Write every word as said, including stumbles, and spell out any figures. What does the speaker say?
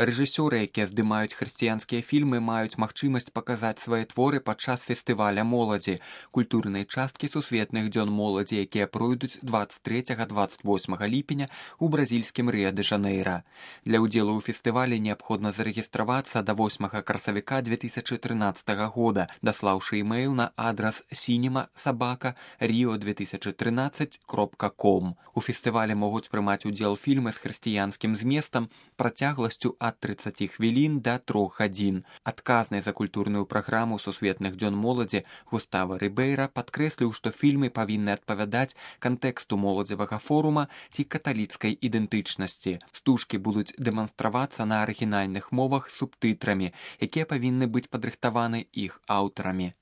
Рэжысёры, якія здымаюць хрысціянскія фільмы, маюць магчымасць паказаць свае творы падчас фестываля моладзі, культурнай часткі сусветных дзён моладзі, якія пройдуць дваццаць трэцяга - дваццаць восьмага ліпеня ў бразільскім Рыа-дэ-Жанэйра. Для ўдзелу ў фестывалі неабходна зарэгістравацца да восьмага красавіка дзве тысячы трынаццатага года, даслаўшы імэйл на адрас cinema собака rio две тысячи тринадцать кропка ком. У фестывалі могуць прымаць удзел фільмы з хрысціянскім зместам працягласцю ад трыццаці хвілін да трох гадзін. Адказны за культурную праграму сусветных дзён моладзі Густава Рыбейра падкрэсліў, што фільмы павінны адпавядаць кантэксту моладзевага форума ці каталіцкай ідэнтычнасці. Стужкі будуць дэманстравацца на арыгінальных мовах з субтытрамі, якія павінны быць падрыхтаваны іх аўтарамі.